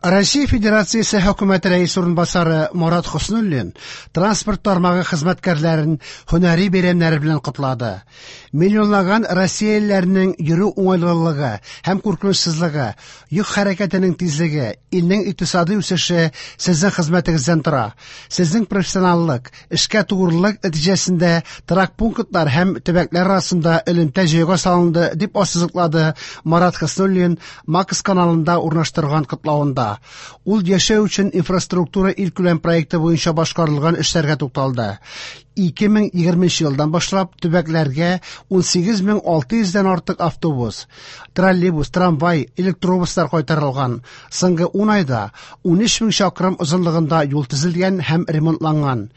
Россия Федерациясе Хөкүмәте рәисе урынбасары Марат Хөснуллин транспорт тармагы хезмәткәрләрен һөнәри бәйрәмнәре белән котлады. Миллионлаган россиялеләрнең йөрү уңайлылыгы һәм куркынычсызлыгы, йөк хәрәкәтенең тизлеге, илнең икътисади үсеше сезнең хезмәтегездән тора. Сезнең профессионаллык, эшкә тугрылык нәтиҗәсендә торак пунктлар һәм төбәкләр арасында элемтә җайга салынды, дип ассызыклады Марат Хөснуллин Макс каналында урнаштырган котлавында. Ул яшәү өчен инфраструктура илкүләм проекты буенча башкарылган эшләргә тукталды. 2020 елдан башлап төбәкләргә 18600 дән артык автобус, троллейбус, трамвай, электробуслар кайтарылган. Соңгы 10 айда 13 мең чакрым озынлыгында юл төзелгән һәм ремонтланган.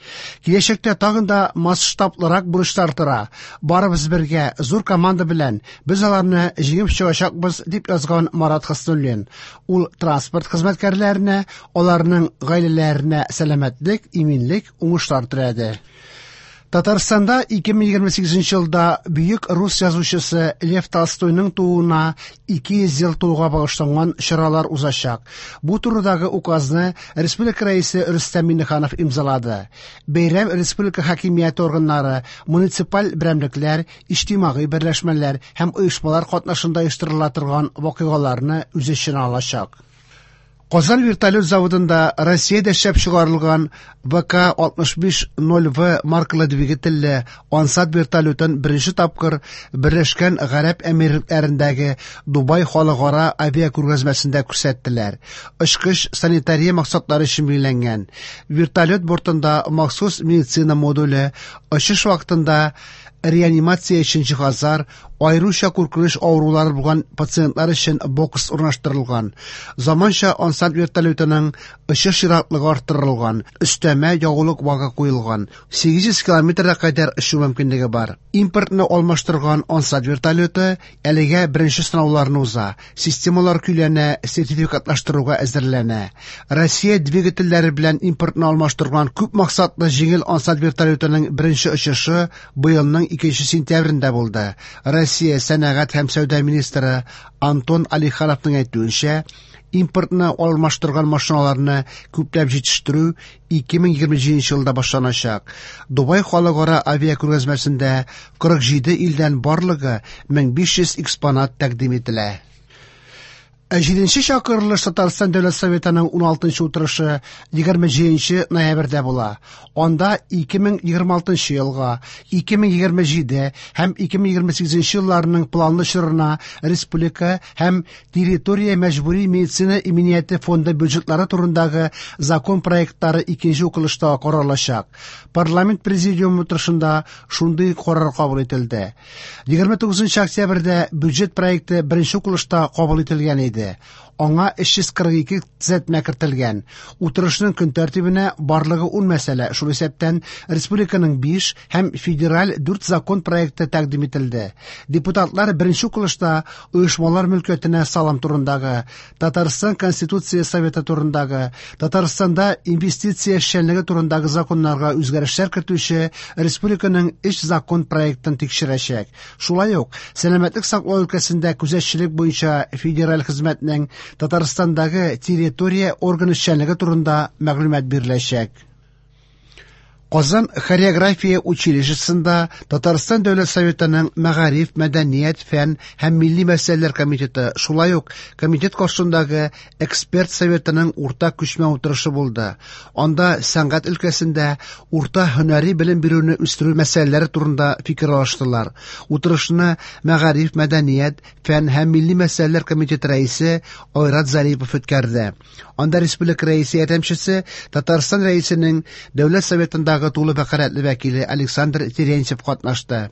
Киләчәктә тагын да масштаблырак бурычлар тора. Барыбыз бергә, зур команда белән без аларны җиңеп чыгачакбыз, дип язган Марат Хөснуллин. Ул транспорт хезмәткәрләренә, аларның гаиләләренә сәламәтлек, иминлек, уңышлар теләде. Татарстанда 2028 елда бөек рус язучысы Лев Толстойның тууына 200 ел тулуга багышланган чаралар узачак. Бу турыдагы указны республика рәисе Рөстәм Миңнеханов имзалады. Бәйрәм республика хакимияте органнары, муниципаль берәмлекләр, иҗтимагый берләшмәләр һәм оешмалар катнашында оештырыла торган вакыйгаларны үз эченә алачак. Казан вертолет заводында Россиядә эшләп чыгарылган ВК-65-0В маркалы двигательле Ансат вертолетын беренче тапкыр Берләшкән Гарәп Әмирлекләрендәге Дубай халыкара авиакүргәзмәсендә күрсәттеләр. Очкыч санитария максатлары өчен билгеләнгән. Вертолет бортында махсус медицина модуле, очыш вакытында реанимация өчен җиһазлар, аеруча куркыныч авырулары булган пациентлар өчен бокс урнаштырылган. Заманча Ансат вертолетының очыш ераклыгы арттырылган, өстәмә ягулык багы куелган, 800 километрга кадәр очу мөмкинлеге бар. Импортны алмаштырган Ансат вертолеты әлегә беренче сынауларны уза, системалар көйләнә, сертификатлаштыруга әзерләнә. Россия двигательләре белән импортны алмаштырган күп максатлы җиңел Ансат вертолетының беренче очышы быелның 2 сентябрендә булды. Россия сәнәгать һәм сәүдә министры Антон Алихановның әйтүенчә, импортны алмаштырган машиналарны күпләп җитештерү 2027 елда башланачак. Дубай халыкара авиакүргәзмәсендә 47 илдән барлыгы 1500 экспонат тәкъдим ителә. Ә җиденче чакырылыш Татарстан Дәүләт Советының 16 утырышы 27 ноябрьдә була. Анда 2026 елга, 2027 һәм 2028 елларның планлы чорына республика һәм территория мәҗбүри медицина иминияте фонды бюджетлары турындагы закон проектлары икенче укылышта каралачак. Парламент президиумы утырышында шундый карар кабул ителде. 29 октябрьдә бюджет проекты беренче укылышта кабул ителгән иде. Аңа 342 төзәтмә кертелгән. Утырышның көн тәртибенә барлыгы 10 мәсьәлә, шул исәптән республиканың 5 һәм федераль 4 закон проекты тәкъдим ителде. Депутатлар беренче укылышта оешмалар мөлкәтенә салым турындагы, Татарстан Конституция Советы турындагы, Татарстанда инвестиция эшчәнлеге турындагы законнарга үзгәрешләр кертүче республиканың 3 закон проектын тикшерәчәк. Шулай ук сәламәтлек саклау өлкәсендә күзәтчелек буенча федераль хезмәтнең Татарстандагы территория органы эшчәнлеге турында мәгълүмат биреләчәк. Казан хореография училищесында Татарстан Дәүләт Советының Мәгариф, мәдәният, фән һәм милли мәсьәләләр комитеты, шулай ук комитет каршындагы эксперт советының уртак күчмә утырышы булды. Анда сәнгать өлкәсендә урта һөнәри белем бирүне үстерү мәсьәләләре турында фикер алыштылар. Утырышны Мәгариф, мәдәният, фән һәм милли мәсьәләләр комитеты рәисе Айрат Зарипов үткәрде. Анда республика рәисе ярдәмчесе, Татарстан рәисенең Дәүләт Советындагы тулы вәкаләтле вәкиле Александр Терентьев катнашты.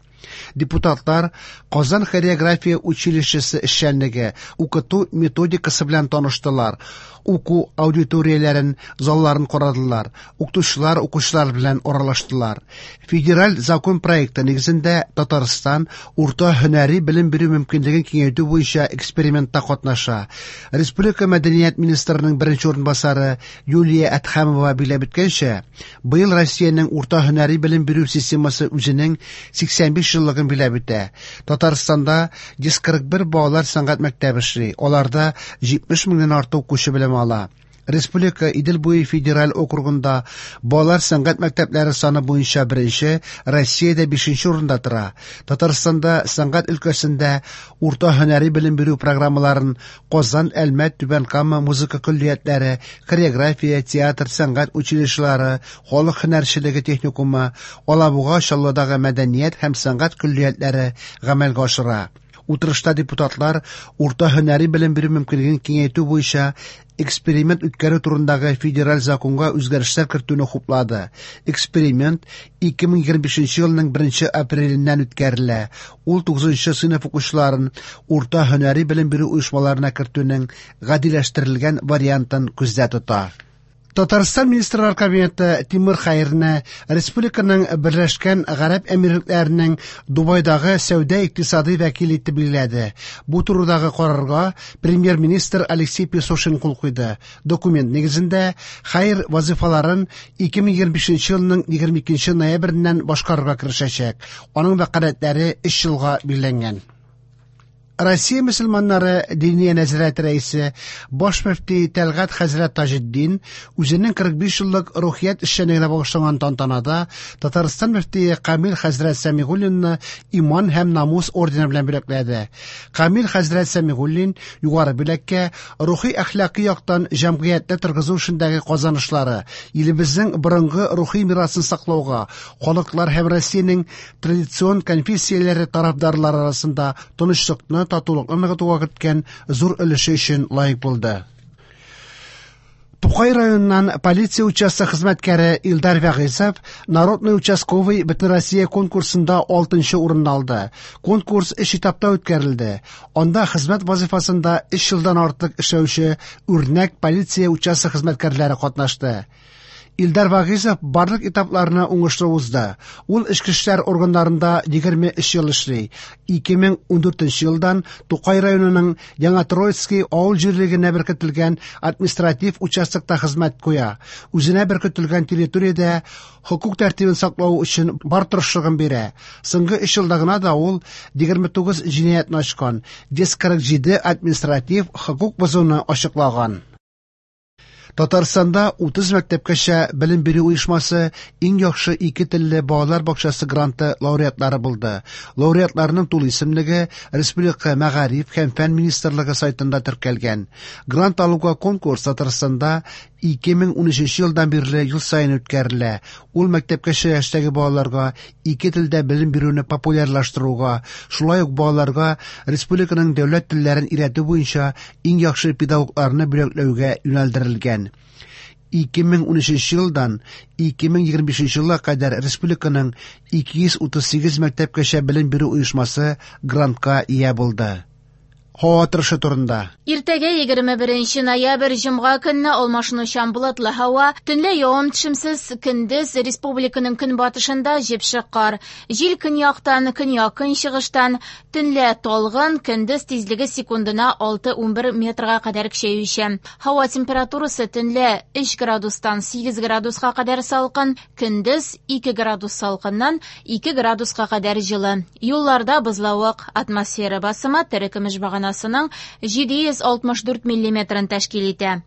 Депутатлар Казан хореография училищесы эшчәнлеге, укыту методикасы белән таныштылар, уку аудиторияләрен, залларын карадылар, укытучылар, укучылар белән аралаштылар. Федераль закон проекты нигезендә Татарстан урта һөнәри белем бирү мөмкинлеген киңәйтү буенча экспериментта катнаша. Республика мәдәният министрының беренче урынбасары Юлия Әдһәмова билгеләп үткәнчә, быел Россиянең урта һөнәри белем бирү системасы үзенең 85 еллыгын биләп үтә. Татарстанда 141 балалар сәнгать мәктәбе эшли, аларда 70 меңнән артык укучы белем ала. Республика Идел буе федераль округында балалар сәнгать мәктәпләре саны буенча беренче, Россиядә бишенче урында тора. Татарстанда сәнгать өлкәсендә урта һөнәри белем бирү программаларын Казан, Әлмәт, Түбән Кама музыка көллиятләре, хореография, театр, сәнгать училищелары, халык һөнәрчелеге техникумы, Алабуга, Чаллыдагы мәдәният һәм сәнгать көллиятләре гамәлгә ашыра. Утырышта депутатлар урта һөнәри белем бирү мөмкинлеген киңәйтү буенча эксперимент үткәрү турындагы федераль законга үзгәрешләр кертүне хуплады. Эксперимент 2025 елның 1 апреленнән үткәрелә. Ул 9 сыйныф укучыларын урта һөнәри белем бирү оешмаларына кертүнең гадиләштерелгән вариантын күздә тота. Татарстан Министрлар Кабинеты Тимур Хәйрне республиканың Берләшкән Гарәп Әмирлекләренең Дубайдагы сәүдә-икътисади вәкиле итеп билгеләде. Бу турыдагы карарга премьер-министр Алексей Песошин кул куйды. Документ нигезендә Хәйр вазифаларын 2025 елның 22 ноябреннән башкарырга керешәчәк. Аның вәкаләтләре 3 елга билгеләнгән. Россия мөселманнары Диния нәзарәте рәисе, баш мөфти Тәлгать хәзрәт Таҗетдин үзенең 45 еллык рухият эшчәнлегенә багышланган тантанада Татарстан мөфтие Камил хәзрәт Сәмигуллинны Иман һәм намус ордены белән бүләкләде. Камил хәзрәт Сәмигуллин югары бүләккә рухи әхлакый яктан җәмгыятьне торгызу эшендәге казанышлары, илебезнең борынгы рухи мирасын саклауга, халыклар һәм Россиянең традицион конфессияләре тарафдарлары арасында тынычлыкны, татулыкны ныгытуга керткән зур өлеше өчен лаек булды. Тукай районыннан полиция участок хезмәткәре Илдар Вәгыйзов Народный участковый Бөтенроссия конкурсында 6 урынны алды. Конкурс өч этапта үткәрелде. Анда хезмәт вазифасында 3 елдан артык эшләүче үрнәк полиция участок хезмәткәрләре катнашты. Илдар Вагизов барлык этапларны уңышлы узды. Ул эчке эшләр органнарында 23 ел эшли. 2014 елдан Тукай районының Яңа Троицкий авыл җирлегенә беркетелгән административ участокта хезмәт куя. Үзенә беркетелгән территориядә хокук тәртибен саклау өчен бар тырышлыгын бирә. Соңгы 3 елда гына да ул 29 җинаятьне ачкан, 147 административ хокук бозуны ачыклаган. Татарстанда 30 мәктәпкәчә белем бирү оешмасы иң яхшы ике телле балалар бакчасы гранты лауреатлары булды. Лауреатларның тулы исемлеге Республика мәгариф һәм фән министрлыгы сайтында теркәлгән. Грант алуга конкурс Татарстанда 2013 елдан бирле ел саен үткәрелә. Ул мәктәпкәчә яшьтәге балаларга ике телдә белем бирүне популярлаштыруга, шулай ук балаларга республиканың дәүләт телләрен өйрәтү буенча иң яхшы педагогларны бүләкләүгә юнәлдерелгән. 2013 елдан 2025 елга кадәр республиканың 238 мәктәпкәчә белем бирү оешмасы грантка ия булды. Һава торышы турында. Иртәгә 21 ноябрь җомга көнне алмашынучан болытлы һава, төнлә явым-төшемсез, көндез республиканың көнбатышында җепшек кар. Җил көньяктан, көньяк-көнчыгыштан, төнлә талгын, көндез тизлеге секундына 6-11 метрга кадәр көчәючән. Һава температурасы төнлә 3 градустан 8 градуска кадәр салкын, көндез 2 градус салкыннан 2 градуска кадәр җылы. Юлларда бозлавык, атмосфера басымы терекөмеш баганасының 764 миллиметрын тәшкил итә.